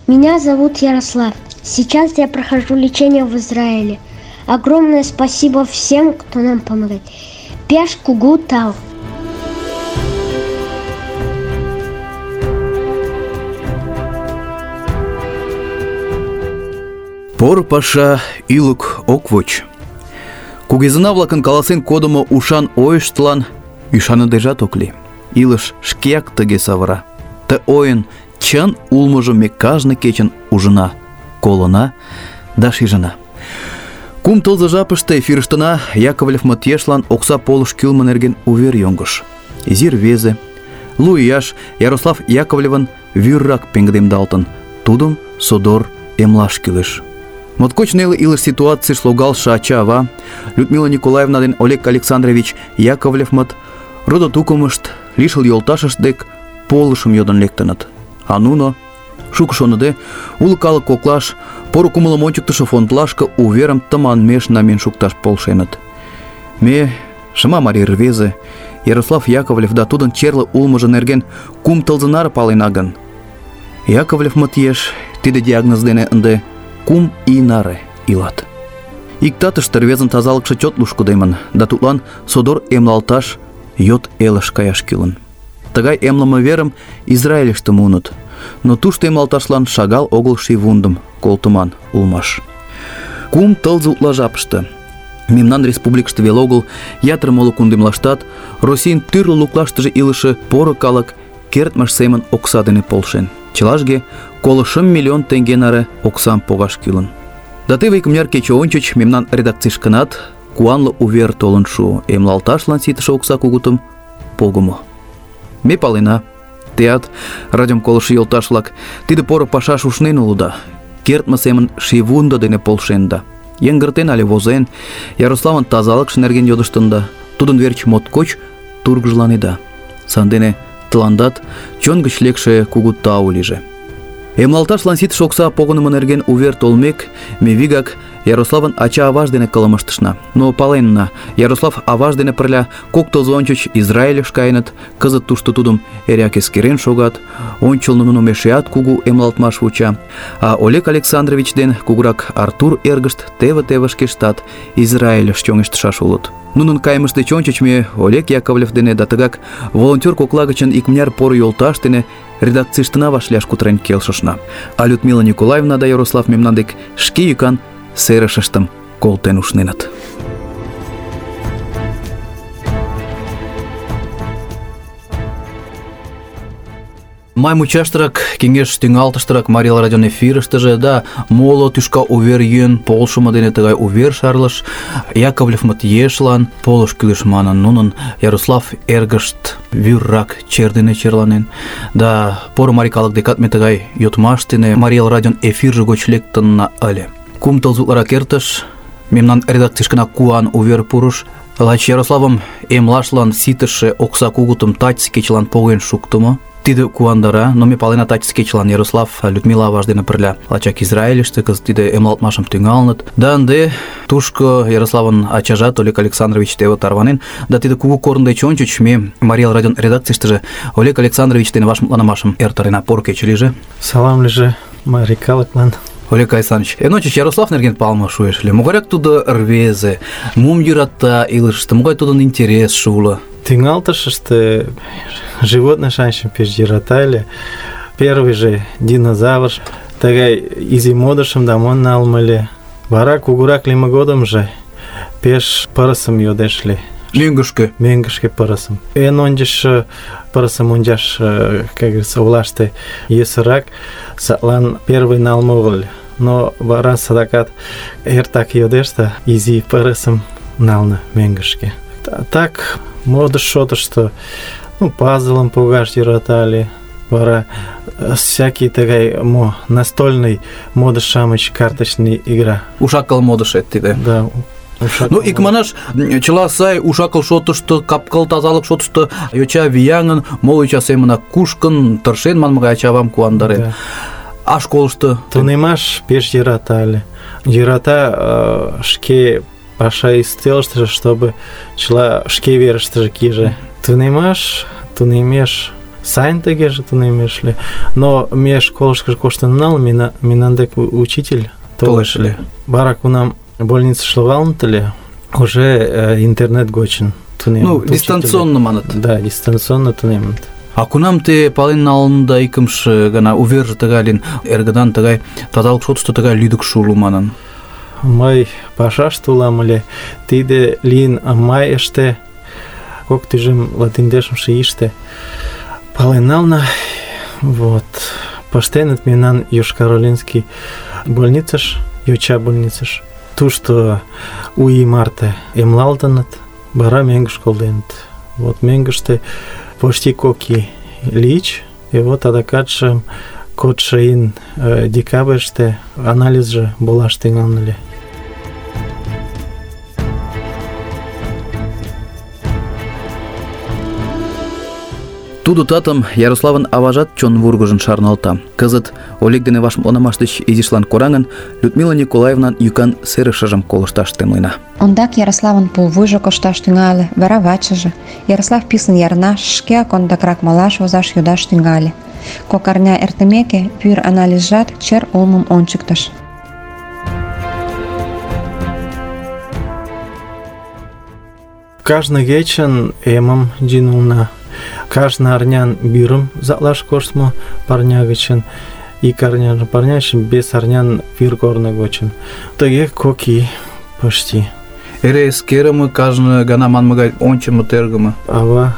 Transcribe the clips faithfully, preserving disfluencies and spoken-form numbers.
Меня зовут Ярослав. Сейчас я прохожу лечение в Израиле. Огромное спасибо всем, кто нам помогает. Пеш кугу тау. Пор паша илук ок воч. Кугезына-влакын каласен кодымо ушан ойыштлан ӱшаныдежат ок лий. Илыш шкеак тыге савыра. Ты ойын чын улмыжым ме кажне кечын ужына, колына да шижына. Кум тылзе жапыште эфирыштына Яковлев-мыт ешлан окса полыш кӱлмӧ нерген увер йоҥгыш. Изи рвезе, лу ияш Ярослав Яковлевын вӱррак пеҥгыдемдалтын. Тудым содор эмлаш кӱлеш. Моткоч неле илыш ситуацийыш логалше ача-ава Людмила Николаевна ден Олег Александрович Яковлев-мыт родо-тукымышт, лишыл йолташышт дек полышым йодын лектыныт. А нуно, шуко шоныде, уло калык коклаш, поро кумылым ончыктышо фондлашке уверым тыманмеш намиен шукташ полшеныт. Ме, шыма марий рвезе, Ярослав Яковлев да тудын черле улмыжо нерген кум тылзе наре палена гын, Яковлев-мыт еш тиде диагноз дене ынде кум ий наре илат. Иктатыште рвезын тазалыкше чот лушкыдемын, да тудлан содор эмлалташ йот элыш каяш кӱлын. Тыгай эмлыме верым Израильыште муыныт, но тушто эмлалташлан шагал огыл шийвундым колтыман улмаш. Кум тылзе утла жапыште мемнан республикыште веле огыл, ятыр моло кундемлаштат Российын тӱрлӧ луклаштыже илыше поро калык кертмыж семын окса дене полшен. Чылажге коло шым миллион теҥге наре оксам погаш кӱлын. Да теве икмыняр кече ончыч мемнан редакцийышкынат куанле увер толын шуо: эмлалташлан ситыше окса кугутым погымо. Ме палена, теат, радиом колышо йолташ-влак, тиде поро пашаш ушнен улыда, кертме семын шийвундо дене полшенда. Йыҥгыртен але возен, Ярославын тазалыкше нерген йодыштында, тудын верч моткоч тургыжланеда. Сандене тыландат чон гыч лекше кугу тау лийже. Эмлалташлан ситыше окса погынымо нерген увер толмек, ме вигак Ярославын ача-аваж дене кылымыштышна. Но паленна, Ярослав аваж дене пырля кок тылзе ончыч Израильыш каеныт, кызыт тушто тудым эреак эскерен шогат, ончылно нуным эшеат кугу эмлалтмаш вуча, а Олег Александрович ден кугурак Артур эргышт теве-теве шкештат Израильыш чоҥештышаш улыт. Нунын кайымышт деч ончыч ме Олег Яковлев дене да тыгак волонтер кокла гычын икмыняр поро йолташ дене редакцийыштына вашлияш кутырен келшышна. А Людмила Николаевна да Ярослав мемнан дек шке йӱкан серышыштым колтен ушненыт. Май мучаштырак, кеҥеж тӱҥалтыштырак Марий Эл радион эфирыштыже да моло тӱшка увер йӱын полшымо дене тыгай увер шарлыш. Яковлев-мыт ешлан полыш кӱлеш манын, нунын Ярослав эргышт вӱррак чер дене черланен. Да поро марий калык декат ме тыгай йодмаш дене Марий Эл радион эфирже гоч лектынна ыле. Кум тылзе утларак эртыш, мемнан редакцийышкына куан увер пурыш. Лач Ярославым эмлашлан ситыше окса кугутым тачысе кечылан поген шуктымо. Тиде куандара, но ме палена тачысе кечылан Ярослав Людмила аваж дене пырля лачак Израильыште кызыт тиде эмлалтмашым тӱҥалыныт. Да ынде тушко Ярославын ачажат Олег Александрович теве тарванен, да тиде кугу корно деч ончыч ме Марий Эл радион редакцийыштыже Олег Александрович дене вашмутланымашым эртарена. Поро кече лийже. Салам лийже, марий калыклан. Олег Александрович, эн ончыч Ярослав нерген палыме шуэш ыле. Могайрак тудо рвезе, мом йӧрата илышыште, могай тудын интересше уло? Тӱҥалтышыште животный шанчым пеш йӧрата ыле. Первый же динозавр, тыгай изи модышым да монь налме ыле. Вара кугурак лийме годымжо пеш пырысым йодеш ыле. Мӧҥгышкӧ. Мӧҥгышкӧ пырысым. Эн ончыч пырысым ончаш, как говорится, олаште йӧсырак, садлан первый налме огыл. Но вара садакат эртак йодеш да изи пырысым нална мӧҥгышкӧ. Так, модыш шотышто, ну, пазлым погаш йӧрата ыле. Вара всякий тыгай мо настольный модыш-шамыч, карточный игра. Ушакыл модышет тиде. Да. Ну, икманаш, чыла сай, ушакыл шотышто, капкыл тазалык шотышто йоча вияҥын, моло йоча семынак кушкын, тыршен манме гай ача-авам куандарен. Да. А школышто? Тунемаш пеш йӧрата ыле. Йӧрата шке паша ӱстелыштыже, чтобы чыла шке верыштыже кийже. Тунемаш, тунемеш сайын тыгеже тунемеш ыле. Но ме школышкыжо коштын онал, мемнан дек учитель толеш ыле. Вара кунам больницыш логалыныт ыле, уже интернет гочын тунемыт. Ну, дистанционно манат. Да, дистанционно тунемыт. А кунам те пален налында икымше гана уверже тыгай лин эргыдан тыгай тазалык шотышто тыгай лӱдыкшӧ уло манын? Мый пашаште улам ыле, тиде лийын майыште, кок тӱжем латиндешымше ийыште пален нална. Вот. Пыштеныт мемнан Йошкар-Олинский больницыш, йоча больницыш. Тушто у ий марте эмлалтыныт, вара мӧҥгыш колтеныт. Вот мӧҥгыштӧ почти кок ий лийыч, и вот адакатше кодшо ийын декабрьыште анализже болаш тӱҥалын ыле. Тудо татым Ярославын аважат чон вургыжын шарналта. Кызыт Олег дене вашмутланымаш деч изишлан кораҥын, Людмила Николаевнан йӱкан серышыжым колышташ темлена. Ондак Ярославын пулвуйжо кошташ тӱҥале, вара вачыже. Ярослав писын ярнаш, шкеак ондакрак малаш возаш йодаш тӱҥале. Кок арня эртымеке, пӱр анализжат чер улмым ончыктыш. Кажне кечын эмым йӱына. Кажне арнян вӱрым затлаш коштмо парня гычын, ик арнян парня гычын, вес арнян вӱр корно гочын. Тыге кок ий почти. Эре эскерыме, кажне гана манме гай ончымо, тергыме. Ава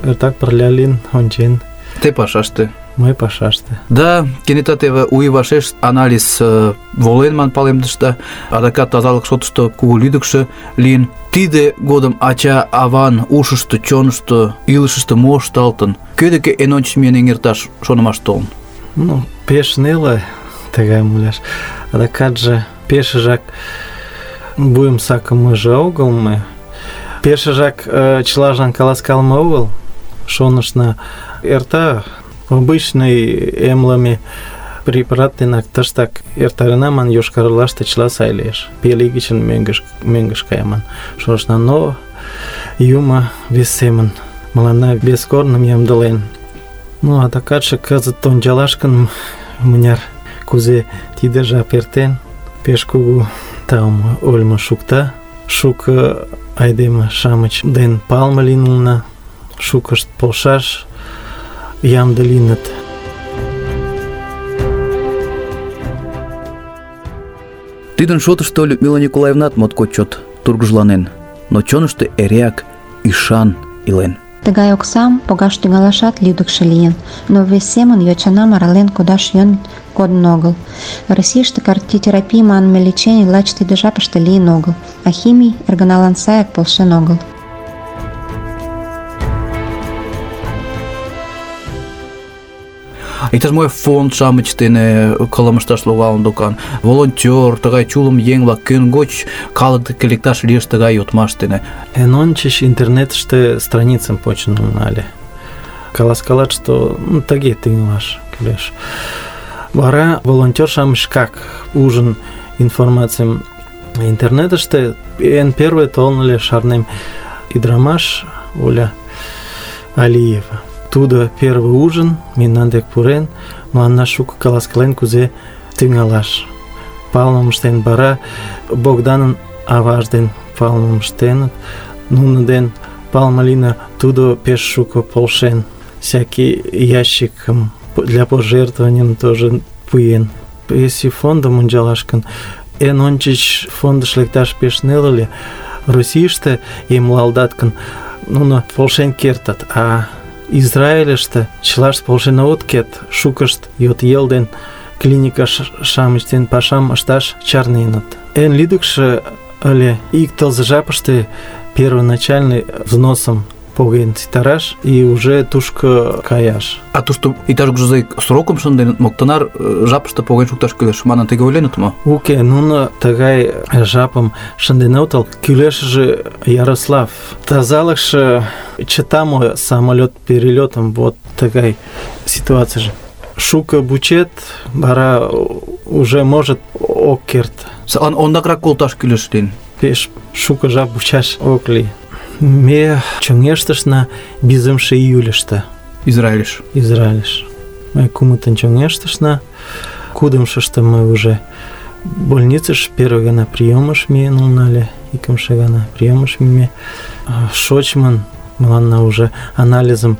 эртак пырля лийын, ончен. Те пашаште. Мый пашаште. Да, кенета теве у ий вашеш анализ э, волен ман палемдышда, адакат тазалык шотышто кугу лӱдыкшӧ лийын. Тиде годым ача-аван ушышто, чонышто, илышышто мо ышталтын? Кӧ деке эн ончыч миен эҥерташ шонымаш толын? Ну, пеш неле тыгайым ойлаш. Адакатже пешыжак вуйым сакымыже огыл ме. Пешыжак э, чылажлан каласкалыме огыл. Шонышна эрта обычный эмлыме препарат денак тыштак эртарена ман, Йошкар-Олаште чыла сай лиеш. Пел ий гычын мӧҥгыш мӧҥгыш каяман. Шонышна, но юмо вес семын мыланна вес корным ямдылен. Ну, адакатше кызыт ончалаш гын, мыняр кузе тиде жап эртен, пеш кугу таум ойлымо шукта. Шуко айдеме-шамыч ден палыме лийын улына, шукышт полшаш ямде лийыныт. Тидын шотышто Людмила Николаевнат моткоч чот тургыжланен, но чонышто эреак ӱшан илен. Тыгай оксам погаш тӱҥалашат лӱдыкшӧ лийын, но вес семын йочанам арален кодаш йӧн кодын огыл. Российыште кардиотерапий манме лечений лач тиде жапыште лийын огыл, а химий эргыналан саяк полшен огыл. Иктаж-мо фонд-шамыч дене кылымышташ логалын докан. Волонтёр, тыгай чулым еҥ-влак кӧн гоч калык деке лекташ лиеш тыгай йодмаш дене. Эн ончыч интернетыште страницым почын нале. Каласкалат, что ну, тыге тӱҥалаш кӱлеш. Вара волонтёр-шамыч шкак ужын информацийым интернетыште. Эн первый толын ыле, шарнем, ӱдырамаш Оля Алиева. Тудо первый ужин мемнан дек пурен, мыланна шуко каласкален, кузе тӱҥалаш. Палымым ыштен, вара Богданын аваж ден палымым ыштеныт. Нуно ден палыме лийна, тудо пеш шуко полшен. Всякий ящикым для пожертвований тоже пуэн. Если фондым ончалаш гын, эн ончыч фондыш лекташ пеш неле ыле. Российыште эмлалдат гын, нуно полшен кертыт, а Израильыште чылашт полшен огыт керт, шукышт йот ел ден клиника-шамыч ден пашам ышташ чарненыт. Эн лӱдыкшӧ ыле ик тылзе жапыште первоначальный взносым поген ситараш и уже тушко каяш. А тушто иктаж-кузе срокым шынденыт мо, тынар жапыште поген шукташ кӱлеш манын тыге ойленыт мо? Уке, нуно тыгай жапым шынден отыл, кӱлешыже Ярослав. Тазалыкше чыта мо самолет перелетым, вот тыгай ситуацияже. Шуко бучет, вара уже может ок керт. Садлан ондакрак колташ кӱлеш лийын. Пеш шуко жап бучаш ок лий. Ме чоҥештышна визымше июльыште. Израильш. Израильш. Мы кумытын чоҥештышна. Кудымшышто мы уже больницыш первый гана приёмыш миен улына ыле, икымше гана приёмыш мийыме. Шочмын мыланна уже анализым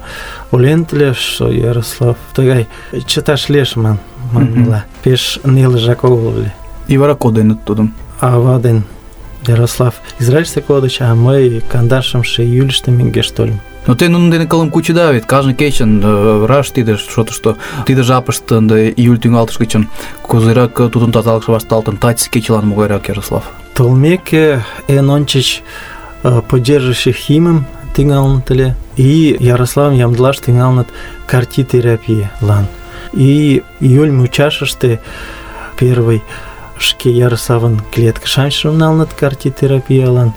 ойлен ыле, что Ярослав тыгай чыташ лиеш ман манмыла. Пеш нелыжак огыл ыле. И вара коденыт тудым. Ава ден Ярослав Израильыште кодыч, а мый кандашымше июльыште мӧҥгеш тольым. Но те нунын дене кылым кучеда вет, кажне кечын раш тиде шотышто, тиде жапыште ынде июль тӱҥалтыш гычын кузерак тудын тазалыкше вашталтын, тачысе кечылан могайрак, Ярослав? Толмеке эн ончыч поддерживающий химым тӱҥалыныт ыле, и Ярославым ямдылаш тӱҥалыныт кар-Т-терапиялан. И июль мучашыште первый шке Ярославын клеткышанчым налыныт кар-Т-терапиялан.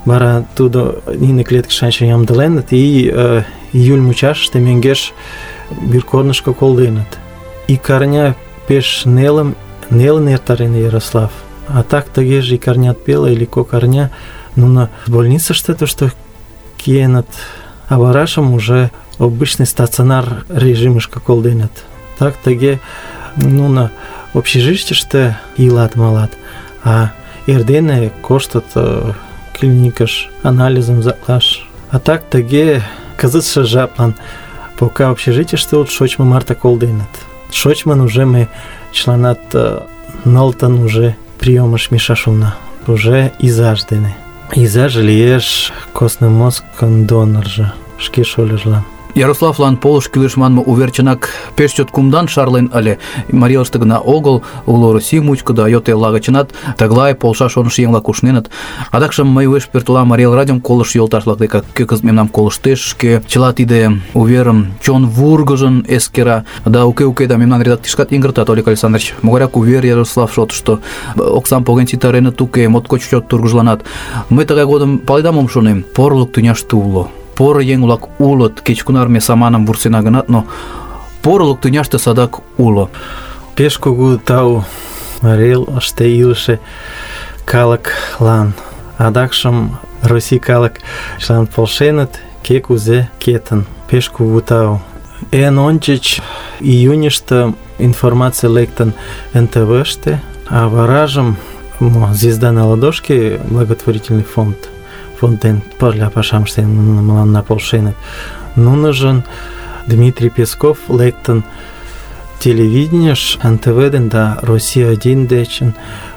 Вара тудо нине клеткышанчым ямдыленыт, и э, июль мучашыште мӧҥгеш вӱркорнышко колденыт. Ик арня пеш нелым нелын эртарен Ярослав. А так тыгеже ик арнят пеле или кок арня нуно больницыште тушто киеныт, а варажым уже обычный стационар режимышко колденыт. Так тыге нуно общежитийыште илат малат, а эрдене коштыт э, клиникыш анализым заклаш. А так тыге кызытше жаплан пока общежитийыште улыт, шочмо марте колденыт. Шочмын уже мы чыланат э, нылытын уже приёмыш мийышаш улына, уже изаж дене. Изаже лиеш костный мозгын доноржо шке шольыжлан. Ярославлан полыш кӱлеш манме увер чынак пеш чот кумдан шарлен ыле. Марийылыште гына огыл, уло Россий мучко да йот элла гычынат тыглай полшаш шонышо еҥ-влак ушненыт. Адакшым мый уэш пӧртылам Марий Эл радиом колыштшо йолташ-влак деке, кӧ кызыт мемнам колыштеш, шке чыла тиде уверым чон вургыжын эскера. Да уке-уке да мемнан редакцийышкат йыҥгыртат, Олег Александрович. Могайрак увер Ярослав шотышто? Оксам поген ситареныт уке, моткоч чот тургыжланат. Мый тыгай годым паледа мом шонем? Порлык тӱняште уло. Поро еҥ-влак улыт, кеч-кунар ме саманым вурсена гынат, но порылык тӱняште садак уло. Пеш кугу тау Марий Элыште илыше калыклан. Адакшым Россий калыклан полшеныт, кӧ кузе кетын. Пеш кугу тау. Эн ончыч июньыште информация лектын эн тэ вэ-ште, а варажым «Звезда на ладошке» благотворительный фонд фонден пырля пашам ыштен мыланна полшеныт. Нуныжын Дмитрий Песков лектын телевидениеш эн тэ вэ ден да Россия один дечын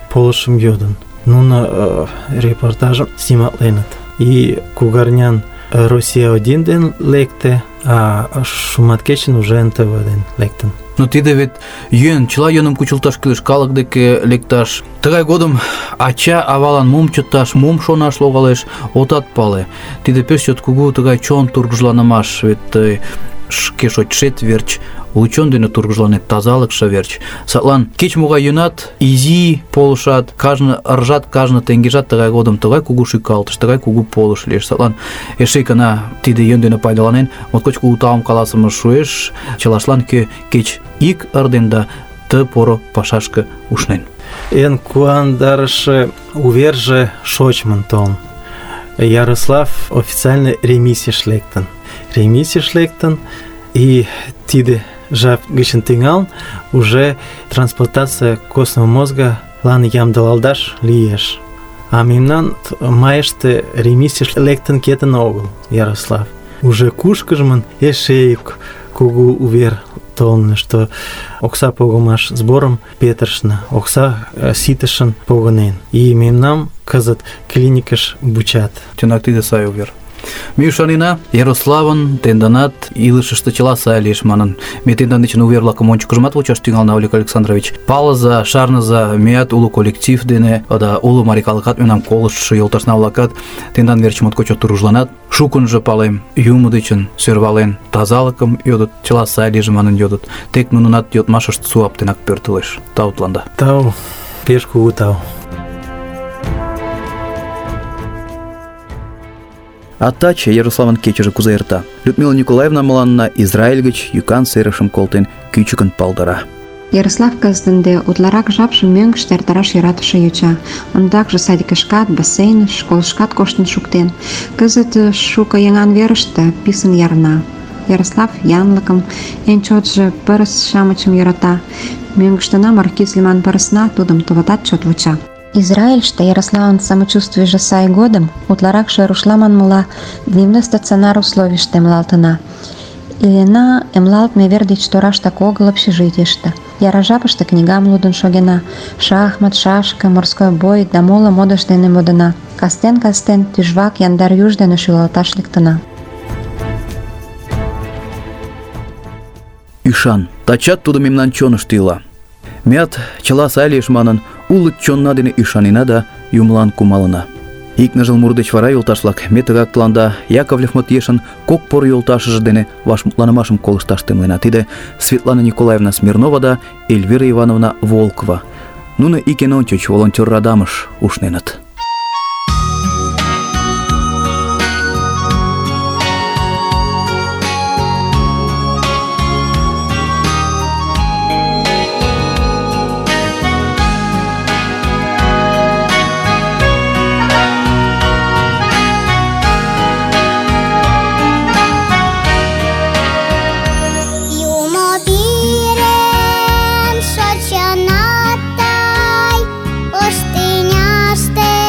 полышым йодын. Нуно э, репортажым сниматленыт. И кугарнян Россия один ден лекте, а шуматкечын уже эн тэ вэ ден лектын. Но тиде вет йӧн, чыла йӧным кучылташ кӱлеш, калык деке лекташ. Тыгай годым ача-авалан мом чыташ, мом шонаш логалеш, отат пале. Тиде пеш чот кугу тыгай чон тургыжланымаш, вет тый шке шочшет верч, уло чон дене тургыжланет, тазалыкше верч. Садлан кеч-могай йӧнат, изи полышат, кажне ыржат, кажне теҥгежат тыгай годым тыгай кугу шӱкалтыш, тыгай кугу полыш лиеш. Садлан эше икана тиде йӧн дене пайдаланен, моткоч кугу таум каласымыш шуэш чылаштлан, кӧ кеч ик ырден да ты поро пашашке ушнен. Эн куандарыше уверже шочмын толын. Ярослав официально ремиссияш лектын. Ремиссияш лектын, и тиде жап гычын тӱҥалын уже трансплантация костного мозга лан ямдылалташ лиеш. А мемнан майыште ремиссияш лектын кетын огыл Ярослав. Уже кушкыжмын эше ик кугу увер толын, что окса погымаш сборым петырышна, окса ситышын погынен. И мемнам кызыт клиникыш вучат. Чынак тиде сай увер. Ме ӱшанена, Ярославын тенданат илышыште чыла сай лиеш манын. Ме тендан дечын увер-влакым ончыкыжымат вучаш тӱҥалына, Олег Александрович. Палыза, шарныза, меат уло коллектив дене, да уло марий калыкат, мемнам колыштшо йолташна-влакат тендан верч моткоч чот тургыжланат. Шукынжо палем, юмо дечын сӧрвален, тазалыкым йодыт, чыла сай лийже манын йодыт. Тек нунынат йодмашышт суаптенак пӧртылеш. Тау тыланда. Тау, пеш кугу тау. А таче Ярославын кечыже кузе эрта? Людмила Николаевна мыланна Израиль гыч йӱкан серышым колтен кӱчыкын палдара. Ярослав кызыт ынде утларак жапшым мӧҥгыштӧ эртараш йӧратыше йоча. Ондакже садикышкат, бассейныш, школышкат коштын шуктен. Кызыт шуко еҥан верыште писын ярна. Ярослав янлыкым, эн чотшо пырыс-шамычым йӧрата. Мӧҥгыштына маркиз лӱман пырысна тудым товатат чот вуча. Израильыште Ярославын самочувствийже сай годым утларакше рушла манмыла дневной стационар условийыште эмлалтына. Илена эмлалтме вер деч тораштак огыл общежитийыште. Яра жапыште книгам лудын шогена, шахмат, шашка, морской бой да моло модыш дене модына. Кастен-кастен тӱжвак яндар юж дене шӱлалташ лектына. Ӱшан, тачат тудо мемнан чонышто ила. Меат, чыла сай лиеш манын, уло чонна дене ӱшанена да юмылан кумалына. Ик ныжыл мур деч вара, йолташ-влак, ме тыгак тыланда Яковлев-мыт ешын кок поро йолташыже дене вашмутланымашым колышташ темлена. Тиде Светлана Николаевна Смирнова да Эльвира Ивановна Волкова. Нуно ик эн ончыч волонтер радамыш ушненыт. Юмо пирем шочынатай, пустыняште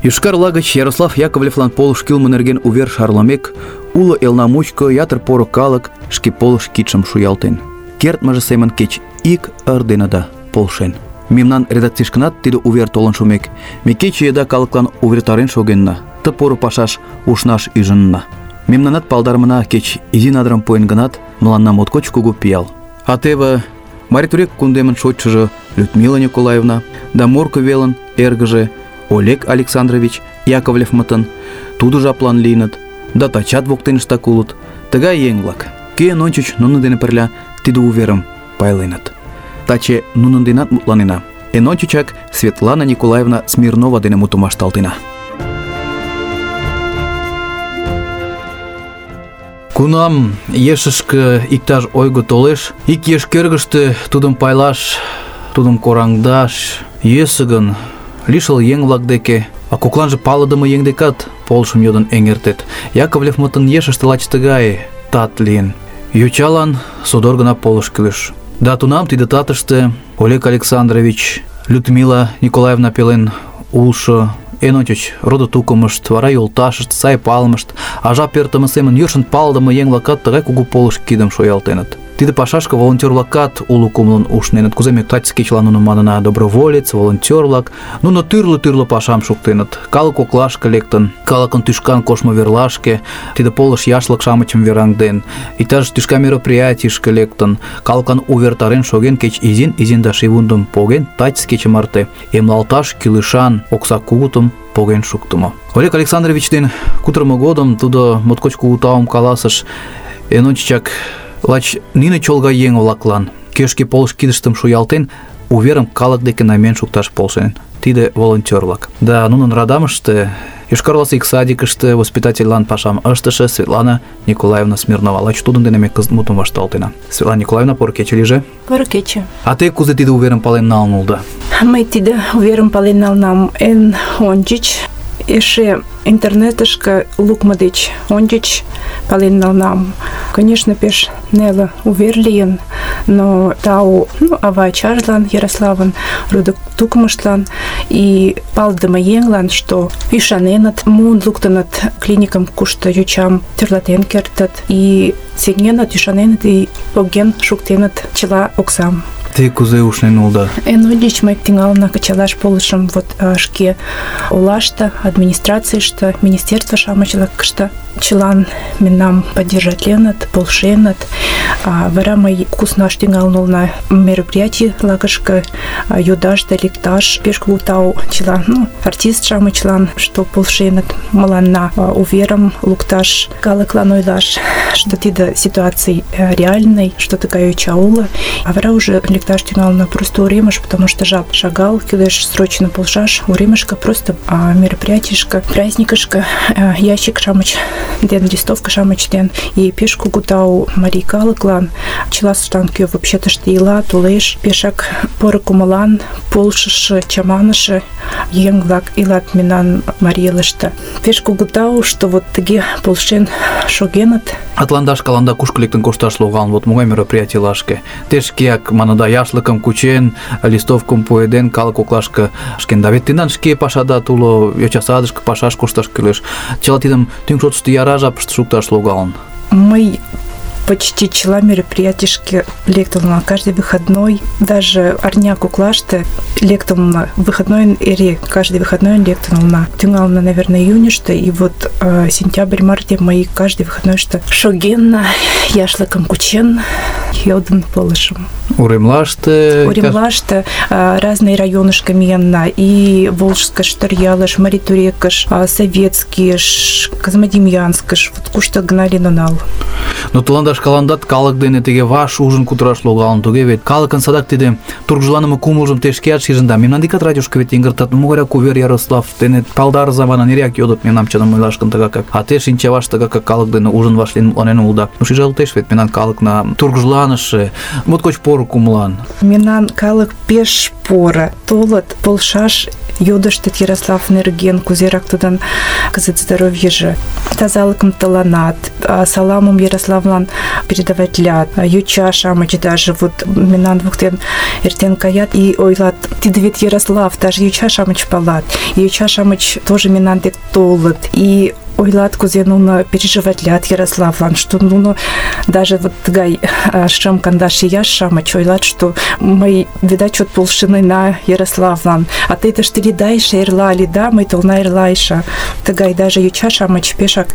Йошкар-Ола гыч Ярослав Яковлевлан полыш кӱлмӧ нерген увер шарлымек, уло элна мучко ятыр поро калык шке полыш кидшым шуялтен. Кертмыже семын кеч ик ыр дене да полшен. Мемнан редакцийышкынат тиде увер толын шумек, ме кече еда калыклан увертарен шогенна, ты поро пашаш ушнаш ӱжынна. Мемнанат палдарымына кеч изи надырым пуэн гынат, мыланна моткоч кугу пиал. А теве Марий кундемын шочшыжо Людмила Николаевна да Морко велын эргыже Олег Александрович Яковлевмытын тудо жаплан лийыныт, да тачат воктеныштак улыт. Тыгай еҥ-влак, кӧн ончыч нунын дене пырля тиде уверым пайленыт. Таче нунын денат мутланена. Эн ончычак Светлана Николаевна Смирнова дене мутым вашталтена. Кунам ешышке иктаж ойго толеш, ик еш кӧргыштӧ тудым пайлаш, тудым кораҥдаш йӧсӧ гын, лишыл еҥ-влак деке, а кокланже палыдыме еҥ декат полышым йодын эҥертет. Яковлевмытын ешыште лач тыгай тат лийын. Йочалан содор гына полыш кӱлеш. Да тунам тиде татыште Олег Александрович, Людмила Николаевна пелен улшо эн ончыч родо-тукымышт, вара йолташышт, сай палымышт, а жап эртыме семын йӧршын палыдыме еҥ-влакат тыгай кугу полыш кидым шуялтеныт. Тиде пашашке волонтер-влакат уло кумылын ушненыт. Кузе ме таче кечылан нуным манына: доброволец, волонтер-влак. Нуно тӱрлӧ-тӱрлӧ пашам шуктеныт. Калык коклашке лектын, калыкын тӱшкан коштмо верлашке, тиде полыш яшлык-шамычым вераҥден, иктаж тӱшка мероприятийышке лектын, калыклан увертарен шоген, кеч изин-изин да шийвундым поген, таче кече марте эмлалташ кӱлешан окса кугутым поген шуктымо. Олег Александрович ден кутырымо годым тудо моткоч кугу таум каласыш. Эн ончычак лач нине чолга еҥ-влаклан, кӧ шке полыш кидыштым шуялтен, уверым калык деке намиен шукташ полшен. Тиде волонтер-влак. Да нунын радамыште, Йошкар-Оласе ик садикыште воспитательлан пашам ыштыше Светлана Николаевна Смирнова. Лач тудын дене ме кызыт мутым вашталтена. Светлана Николаевна, поро кече лийже. Поро кече. А те кузе тиде уверым пален налын улыда? Мый тиде уверым пален налынам эн ончыч, эше интернетышке лукмо деч ончыч пален налынам. Конечно, пеш неле увер лийын, но тау ну, ава-ачажлан, Ярославын, родо-тукымыштлан и палыдыме еҥлан, что ӱшаненыт, муын луктыныт клиникым, кушто йочам тӧрлатен кертыт, и сеҥеныт, ӱшаненыт, и поген шуктеныт чыла оксам. Те кузе ушнен улыда? Эн ончыч мый тӱҥална кычалаш полышым вот шке олаште, администрацийыште, министерство-шамычлакыште. Чылан мемнам поддержатленыт, полшеныт. А вара мый куснаш тӱҥалын улына мероприятий-лакышке йодаш да лекташ. Пеш кугу тау чыла, ну, артист-шамычлан, что полшеныт мыланна уверым лукташ, калыклан ойлаш, что тиде ситуаций реальный, что такая йоча уло. А вара уже лекташ тӱҥалына просто уремыш, потому что жап шагал, кӱлеш срочно полшаш уремышке, просто мероприятийышке, праздникышке, ящик-шамыч ден, листовка-шамыч ден. И пеш кугу тау марий калыклан, чылаштлан, кӧ вообще тыште ила, толеш, пешак поро кумылан, полшыше, чаманыше еҥ-влак илат мемнан марий элыште. Пеш кугу тау, что вот тыге полшен шогеныт. Атланда шкаланда кушко лектын кошташ логалын, вот могай мероприятийлашке. Те шкеак, маныда, яшлыкым кучен, листовкым пуэден, калык коклашке шкен. Да вет тендан шке пашадат уло, йоча садышке пашаш кошташ кӱлеш. Чыла тидым тӱҥ шотышто яра жапыште шукташ логалын. Мый почти чыла мероприятийышке лектылна каждый выходной, даже арня коклаште лектылна выходной эре, каждый выходной лектылна. Тӱҥална, наверное, июньыште, и вот э, сентябрь-марте мый каждый выходнойште шогенна, яшлыкым кучен, йодын полышым. Уремлаште? Уремлаште э, разные районышко миенна, и Волжскыш, Торъялыш, Маритурекыш, э, Советскийыш, Козьмодемьянскыш, вот кушто гына лийын ал. Но тыланда шкаландат калык дене тыге ваш ужын кутыраш логалын, туге вет калыкын садак тиде тургыжланыме кумылжым те шкеат шижында. Мемнан декат радиошко вет эҥертат, могайрак увер Ярослав дене палдарыза манын эреак йодыт мемнам чыным ойлаш гын тыгакак. А те шинчаваш тыгакак калык дене ужын вашлийын мутланен улыда. Ну шижалтеш вет мемнан калыкна тургыжланыше, моткоч поро кумылан. Мемнан калык пеш поро, толыт полшаш, йодыштыт Ярослав нерген, кузерак тудын кызыт здоровьеже, тазалыкым тыланат, саламым Ярославлан передаватлят. Юча-шамыч даже вот мемнан воктен эртен каят и ойлат, тиде вет Ярослав, даже юча-шамыч палат. И юча-шамыч тоже мемнан дек толыт. И ойлат, кузе нуно переживатлят Ярославлан, что нуно даже вот тыгай шым кандаш ияш-шамыч ойлат, что мый, видать, чот полшыны на Ярославлан. А ты тышты лидайша, эрла лида, мый толна эрлайша. Тыгай даже юча-шамыч пешак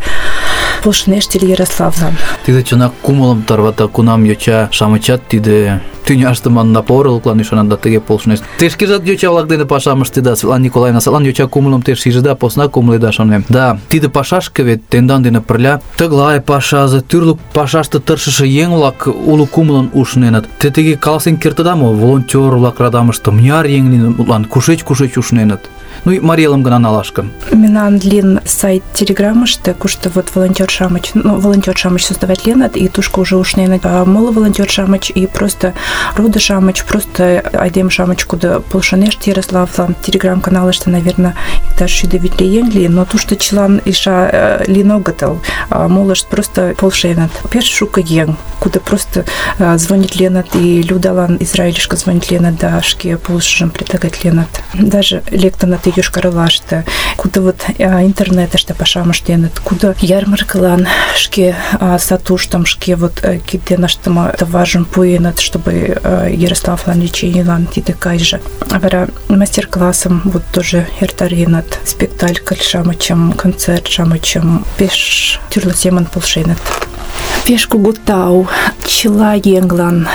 полшынештели Ярославлан. Тиде чынак кумылым тарвата кунам йоча-шамычат тиде тӱняштыман напорылыклан ӱшанат тыге полшынешт. Те шкежат йоча-влак дене пашам ыштеда, Светлана Николаевна, садлан йоча кумылым те шижыда, посна кумыледа, шонем. Да, тиде пашашке вет тендан дене пырля тыглай пашазе, тӱрлӧ пашаште тыршыше еҥ-влак уло кумылын ушненыт. Те тыге каласен кертыда мо, волонтёр-влак радамыште мыняр еҥ лийын, мутлан кушеч-кушеч ушненыт? Ну и Марелым гына налаш гын. Мемнан лин сайт телеграммыште, кушто вот волонтёр-шамыч, ну, волонтёр-шамыч создаватленыт, и тушко уже ушненыт. А моло волонтёр-шамыч и просто роды-шамыч, просто айдем-шамыч, куда полшынешт Ярославлан. Телеграм-каналыште, наверное, иктаж шӱдӧ витле еҥ лийын, но тушто чылан иша лийын огытыл. Молышт просто полшеныт. Пеш шуко еҥ, куда просто звонитленыт, и Людалан Израильышке звонитленыт, да шке полышыжым предлагатленыт. Даже лектыныт Йошкар-Олаште, куда вот интернетыште пашам ыштеныт, куда ярмаркылан шке сатуштым, шке вот киденыштыме товаржым пуэныт, чтобы Ярославлан леченийлан тиде кайже. Вара мастер-классым вот тоже эртареныт, спектакль-шамычым, концерт-шамычым, пеш тӱрлӧ семын полшеныт. Пеш кугу тау чыла еҥлан,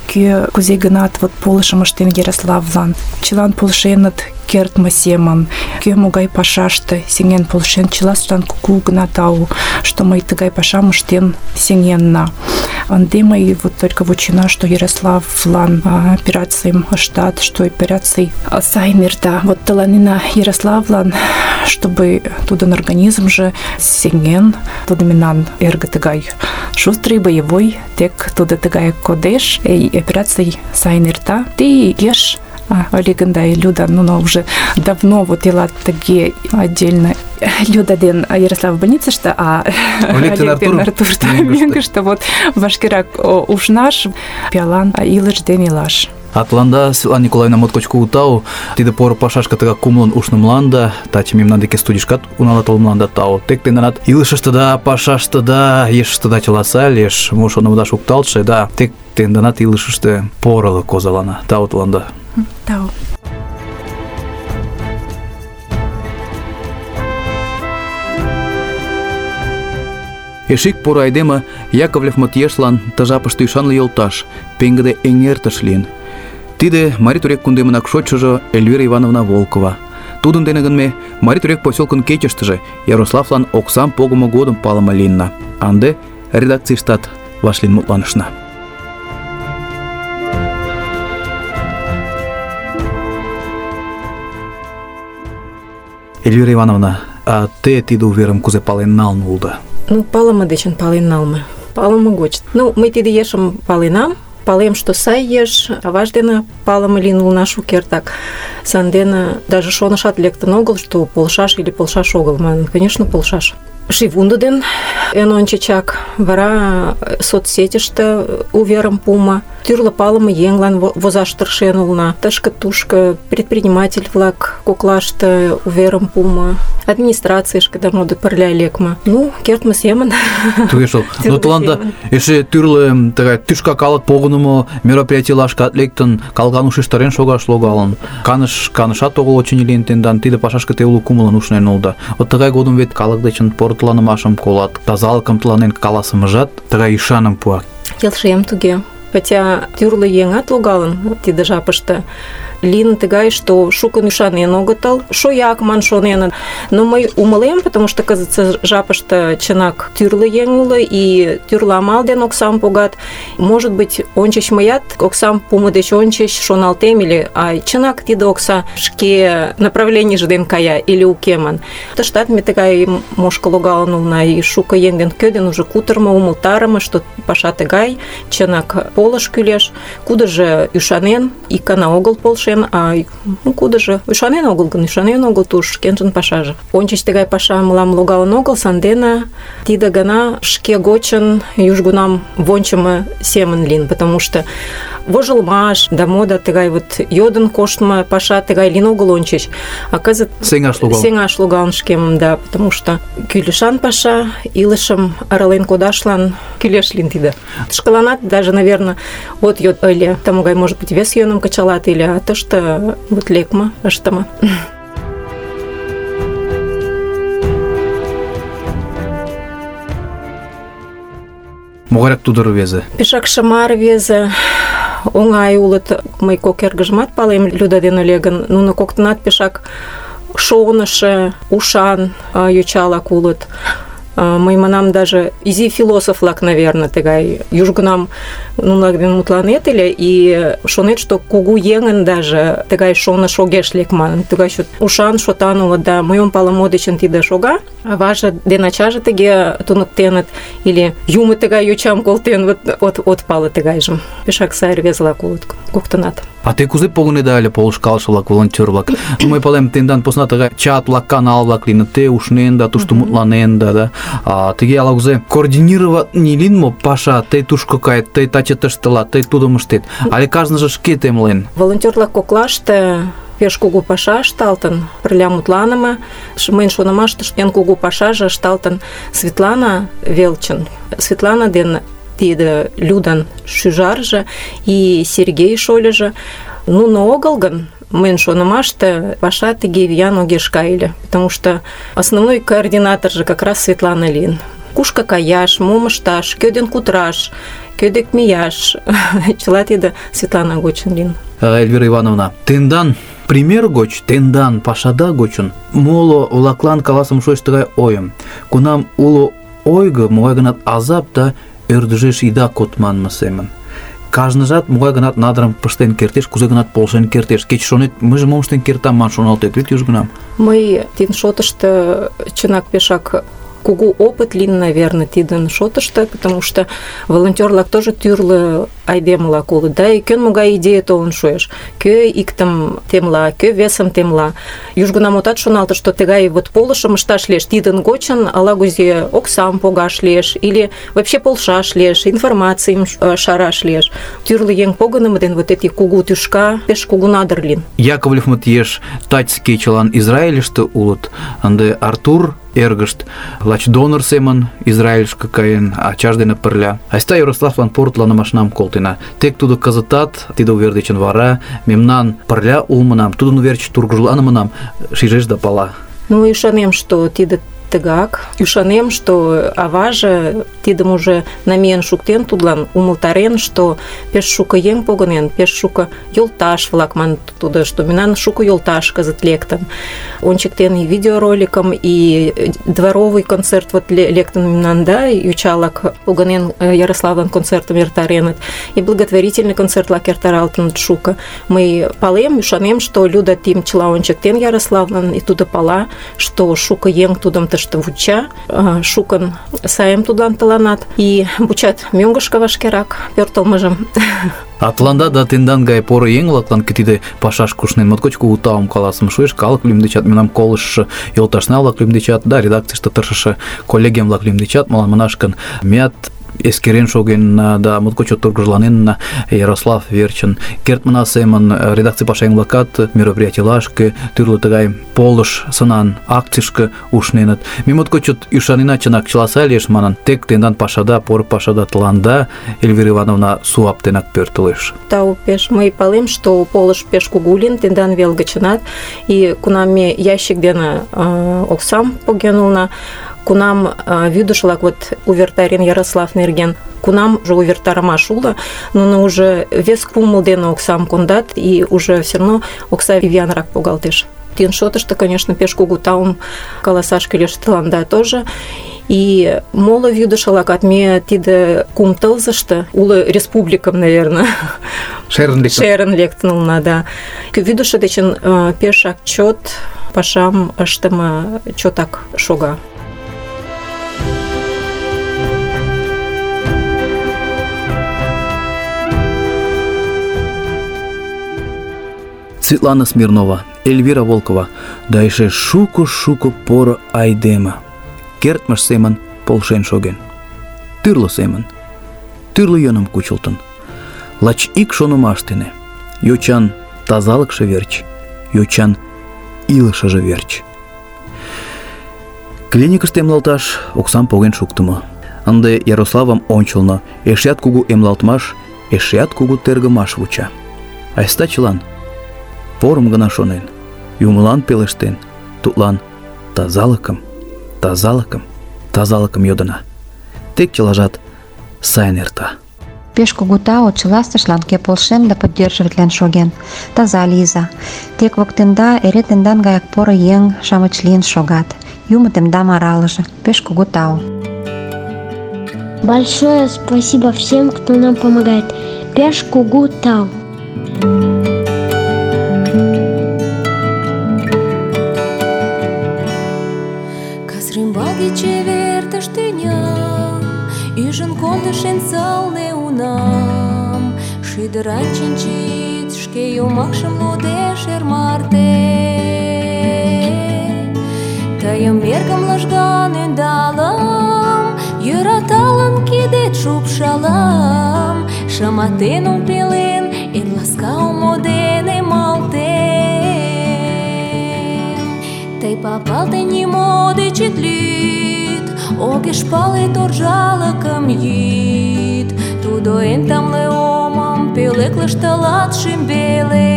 кӧ кузе гынат вот полышым ыштен Ярославлан, чылан полшеныт кертме семын, кӧ могай пашаште сеҥен полшен, чылаштлан кугу гына тау, что мый тыгай пашам ыштен сеҥенна. Ынде мый вот только вучена, что Ярославлан операцийым ыштат, что операций сайын эрта. Вот тыланена Ярославлан, чтобы тудын организмже сеҥен, тудо мемнан эрге тыгай шустрый, боевой, тек тудо тыгай кодеш, и операций сайын эрта. Ты еш Олег и Люда, ну, но уже давно вот илат таки отдельно. Люда ден Ярослав в больнице, что, а Олег ден Артур, что меньше, что вот Вашкирак уж наш, Пиалан, а Илыш ден Илаш. Атланда, Светлана Николаевна моткоч кугу тау, тиде поро пашашка тыга кумлын ушнымланда, таче мемнан деке студишкат уналатылмланда тау. Тек тенданат илышыштыда, пашаштыда, ешыштыда чыласа леш, мо шонымыда шукталтше, да, тек тенданат илышыште порылык козалана. Тау Атланда. Тау. Эшик поро айдеме Яковлевмыт ешлан ты жапыште ӱшанле йолташ, пеҥгыде эҥертыш лийын. Тиде Марий Турек кундемынак шочшыжо Эльвира Ивановна Волкова. Тудын дене гын ме Марий Турек поселкын кечыштыже Ярославлан оксам погымо годым палыме лийынна. А ынде редакцийыштат вашлийын мутланышна. Эльвира Ивановна, а те тиде уверым кузе пален налын улыда? Ну, палыме дечын пален налме. Палыме гоч. Ну, мый тиде ешым паленам. Палем, что сай еш, аваж дене палыме лийын улына шукертак. Сандене даже шонышат лектын огыл, что полшаш или полшаш огыл. Манын, конечно, полшаш. Шивунду ден эн ончычак, вара соцсетьыште уверым пума, тӱрлӧ палыме еҥлан возаш тыршен улына. Тышке-тушко предприниматель-влак коклаште уверым пума, администрацийышке да моды пырля лекме. Ну, кертме семын. Туге шол. Но тыланда эше тӱрлӧ тыгай тӱшка калык погынымо мероприятийлашкат лектын, калган ушештарен шогаш логалын. Каныш канышат огыл очыни лийын тендан, тиде пашашке те уло кумылын ушнен улыда. Вот тыгай годым вет калык дечын портыланымашым колат, тазалыкым тыланен каласымыжат тыгай ӱшаным пуа. Келшем туге. Хотя тӱрлӧ еҥат логалын тиде жапыште. Лийын тыгай, что шукын ӱшанен огытыл, шояк ман шоненыт. Но мый умылем, потому что кызытсе жапыште чынак тӱрлӧ еҥ уло, и тӱрлӧ амал дене оксам погат. Может быть, ончыч мыят оксам пуымо деч ончыч шоналтем, или а чынак тиде окса шке направленийже дене кая, или уке ман. Тыштат ме тыгай мошко логалын улына, и шуко еҥ ден кӧ дене уже кутырымо, умылтарыме, что паша тыгай, чынак полыш кӱлеш, кудыжо ӱшанен, икана огыл полшен. полшен, а ну, кудыжо ӱшанен огыл гын, ӱшанен огыл туш шкенжын пашаже. Ончыч тыгай паша мылам логалын огыл, сандене тиде гана шке гочын южгунам вончымо семын лийын, потому что вожылмаш да мода тыгай вот йодын коштмо паша тыгай лийын огыл ончыч, а кызыт сеҥаш логалын. Сеҥаш логалын шкемым, да, потому что кӱлешан паша илышым арален кодашлан кӱлеш лийын тиде. Шкаланат даже, наверное, вот йод ыле, тамогай, может быть, вес йӧным кычалат ыле, а тыште вот лекме, ыштыме. Могайрак тудо рвезе? Пешак шыма рвезе, оҥай улыт. Мый кок эргыжымат палем, Люда ден Олегын. Нуно коктынат пешак шонышо, ушан йочалак улыт. Мый манам даже изи философ-влак, наверное, тыгай. Южгунам нунылак дене мутланет ыле, и шонет, что кугу еҥын даже тыгай шоныш огеш лек манын. Тыгай чот ушан, шотан улыт, да. Мыйым палыме дечын тиде шога. Аваже ден ачаже тыге туныктеныт, или юмо тыгай йочам колтен, вот от, от пале тыгайжым. Пешак сай рвезылак улыт коктынат. А те кузе погынеда ыле полышкалыше-влак, волонтёр-влак? Ну, мый палем, тендан посна тыгай чат-влак, канал-влак лийыныт, те ушненда, тушто мутланенда, да? А тыге ала кузе координирований лийын мо паша, тый тушко кает, тый таче тыште ылат, тый тудым ыштет, але кажныже шке темлен? Волонтёр-влак коклаште пеш кугу паша ышталтын, пырля мутланыме. Мыйын шонымаште эн кугу пашаже ышталтын Светлана велчын. Светлана ден тиде Людан шӱжарже и Сергей шольыжо. Нуно огыл гын, мыйын шонымаште паша тыге виян огеш кай ыле, потому что основной координатор же как раз Светлана лийын. Кушко каяш, мом ышташ, кӧ ден кутыраш, кӧ дек мияш, чыла тиде Светлана гочын лийын. Эльвира Ивановна, тендан пример гоч, тендан пашада гочын моло-влаклан каласым шуэш тыгай ойым. Кунам уло ойго могай-гынат азап да ӧрдыжеш ида код манме семын. Кажныжат могай-гынат надырым пыштен кертеш, кузе-гынат полшен кертеш. Кеч шонет, мыйже мом ыштен кертам ман шоналтет вет южгунам. Мый тидын шотышто чынак пешак кугу опыт лийын, наверное, тидын шотышто, потому что волонтёр-влак тоже тӱрлӧ айдемылак улыт, да, и кӧн могай идея толын шуэш, кӧ иктым темла, кӧ весым темла. Южгунам отат шоналте, что тыгай вот полышым ышташ лиеш, тидын гочын ала-кузе оксам погаш лиеш, или вообще полшаш лиеш, информацийым шараш лиеш. Тӱрлӧ еҥ погынымо ден вот эти кугу тӱшка пеш кугу надыр лийын. Яковлевмыт еш таче кечылан Израильыште улыт, ынде Артур эргышт лач донор семын Израильышке каен, ачаж дене пырля. Айста Ярославлан порытланымашнам колтена. Тек тудо кызытат, тиде увер дечын вара, мемнан пырля улмынам, тудын верч тургыжланымынам шижеш да пала. Ну, ӱшанем, что тиде тыгак. Ӱшанем, что аваже тидым уже намиен шуктен тудлан, умылтарен, что пеш шуко еҥ погынен, пеш шуко йолташ-влак маныт тудо, что мемнан шуко йолташ кызыт лектын. Ончыктен и видеороликым, и дворовый концерт вот лектын мемнан, да, йочалак погынен Ярославлан концертым эртареныт, и благотворительный концертлак эртаралтыныт шуко. Мый палем, ӱшанем, что Люда тим чыла ончыктен Ярославлан, и тудо пала, что шуко еҥ тудым тыште вуча, шукын сайым тудлан тыланат, и вучат мӧҥгышкӧ вашкерак пӧртылмыжым. А тыланда да тендан гай поро еҥ-влаклан тиде пашаш кушнен моткоч кугу таум каласым шуэш, калык лӱмдечат, мемнам колыштшо йолташна-влак лӱмдечат, да, редакцийыште тыршыше коллегем-влак лӱмдечат, молан манаш гын, меат эскерен шогенна да моткоч чот тургыжланенна Ярослав верчын. Кертмына семын редакций пашаеҥ-влакат мероприятийлашке, тӱрлӧ тыгай полыш сынан акцийышке ушненыт. Ме моткоч чот ӱшанена, чынак чыла сай лиеш манын, тек тендан пашада, поро пашада тыланда, Эльвира Ивановна, суаптенак пӧртылеш. Тау пеш. Мый палем, что полыш пеш кугу лийын тендан вел гычынат, и кунам ме ящик дене э, оксам поген улына, кунам э, вӱдыш-влак вот увертарен Ярослав нерген, кунам уже увертарымаш уло, нуно уже вес кумыл дене оксам кондат, и уже все равно окса виянрак погалтеш. Тидын шотышто, конечно, пеш кугу таум каласаш кӱлеш тыланда тоже. И моло вӱдышӧ-влакат ме тиде кум тылзыште уло республикым, наверное, шерын лектын. Шерын лектын улына, да. Вӱдышӧ дечын э, пешак чот пашам ыштыме чотак шога. Светлана Смирнова, Эльвира Волкова, да эше шуко-шуко поро айдеме кертмыж семын полшен шоген. Тӱрлӧ семын, тӱрлӧ йӧным кучылтын. Лач ик шонымаш дене: йочан тазалыкше верч, йочан илышыже верч. Клиникыште эмлалташ оксам поген шуктымо. Ынде Ярославым ончылно эшеат кугу эмлалтмаш, эшеат кугу тергымаш вуча. Айста чылан порым гына шонен, юмылан пелештен, тудлан тазалыкым, тазалыкым, тазалыкым йодына. Тек чылажат сайын эрта. Пеш кугу тау чыла сашлан, кӧ полшен да поддерживатлен шоген. Таза лийза. Тек воктенда эре тендан гаяк поро еҥ-шамыч лийын шогат. Юмо тендам аралыже. Пеш кугу тау. Большое спасибо всем, кто нам помогает. Пеш кугу тау. Казрымбалге чевер тыштыням, ӱжын кондыш эн сылне унам. Шӱдыран чинчит, шке йомакшым лудеш эр марте. Тыйым эргым лыжган ӧндалам, йӧраталын кидет шупшалам. Шыматен ом пелен, эн ласка омо дене малтем. Тый папалте нимо деч ит лӱд, огеш пале торжалыкым йӱд. Тудо эн тамле омым пӧлеклыш тылат шӱмбелем.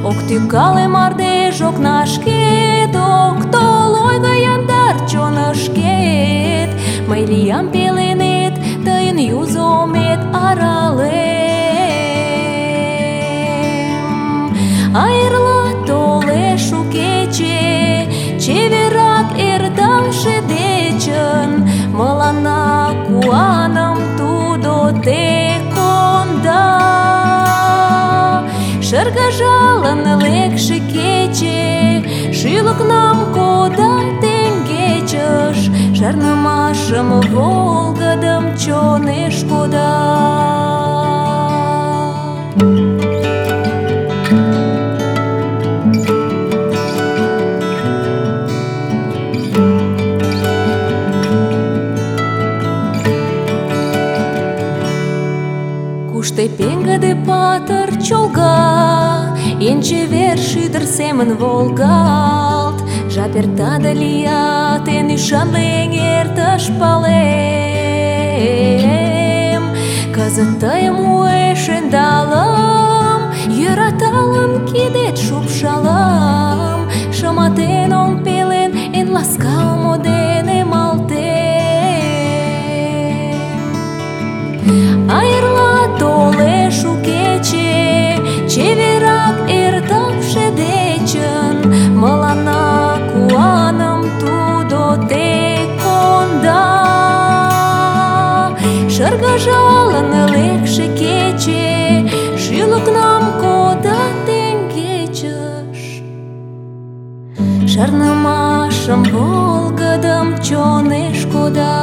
Ок тӱкале мардеж окнашкет, ок тол ойго яндар чонышкет. Мый лиям пеленет, тыйын юзо омет аралем. А эрла толеш у кече, чеверак эрталше дечын, мыланна куаным тудо тек конда. Шыргыжалын лекше кече, шӱлыкнам кода теҥгечыш, шарнымашым волгыдым чонеш кода. Кушто пеҥгыде патыр чолга, эн чевер шӱдыр семын волгалт. Жап эрта да лият, эн ӱшанле эҥертыш палем. Кызыт тыйым уэш ӧндалам, йӧраталын кидет шупшалам. Шыматен ом пелен, эн ласка омо дене малтем. А эрла толеш у кече, чеверак эрталше дечын, мыланна куаным тудо тек конда. Шыргыжалын лекше кече, шӱлыкнам кода теҥгечыш, шарнымашым волгыдым чонеш кода.